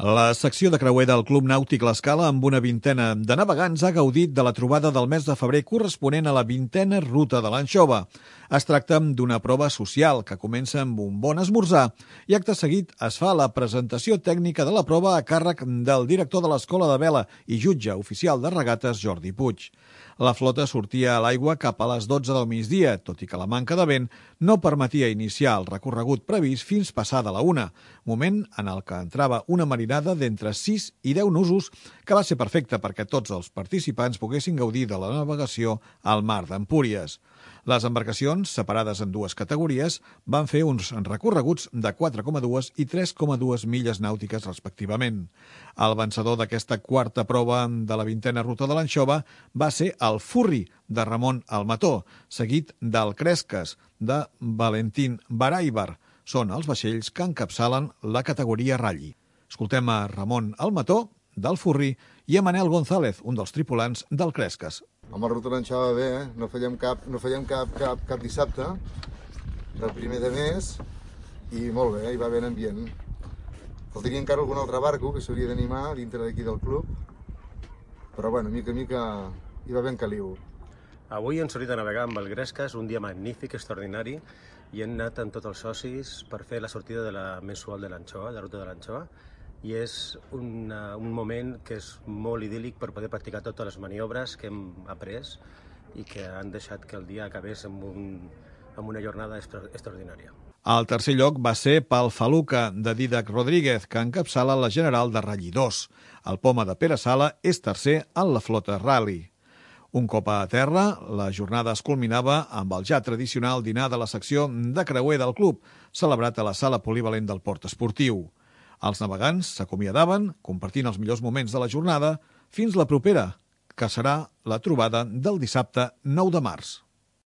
La secció de creuer del Club Nàutic L'Escala, amb una vintena de navegants, ha gaudit de la trobada del mes de febrer corresponent a la 20a ruta de l'anxova. Es tracta d'una prova social que comença amb un bon esmorzar i acte seguit es fa la presentació tècnica de la prova a càrrec del director de l'Escola de Vela i jutge oficial de regates Jordi Puig. La flota sortia a l'aigua cap a les 12 del migdia, tot i que la manca de vent no permetia iniciar el recorregut previst fins passada la 1, moment en el que entrava una marinada d'entre 6 i 10 nusos que va ser perfecta perquè tots els participants poguessin gaudir de la navegació al mar d'Empúries. Les embarcacions, separades en dues categories, van fer uns recorreguts de 4,2 i 3,2 milles nàutiques respectivament. El vencedor d'aquesta quarta prova de la 20a ruta de l'anxova va ser el Furri, de Ramon Almató, seguit del Cresques, de Valentín Baraibar. Són els vaixells que encapçalen la categoria Ralli. Escoltem a Ramon Almató, del Furri, i a Manel González, un dels tripulants del Cresques. Amb la ruta l'anxova bé, no fallem cap dissabte del primer de mes i molt bé, hi va haver ambient. Faltaria encara algun altre barco que s'hauria d'animar dintre d'aquí del club, però bueno, mica en mica hi va ben caliu. Avui hem sortit a navegar amb el Cresques, un dia magnífic, extraordinari, i hem anat amb tots els socis per fer la sortida de la mensual de l'anxova, de la ruta de l'anxova, i és un moment que és molt idíl·lic per poder practicar totes les maniobres que hem après i que han deixat que el dia acabés amb una jornada extraordinària. El tercer lloc va ser pel Faluca, de Dídac Rodríguez, que encapçala la general de Ralli 2. El Poma de Pere Sala és tercer en la flota Rally. Un cop a terra, la jornada es culminava amb el ja tradicional dinar de la secció de creuer del club, celebrat a la sala polivalent del Port Esportiu. Els navegants s'acomiadaven, compartint els millors moments de la jornada, fins la propera, que serà la trobada del dissabte 9 de març.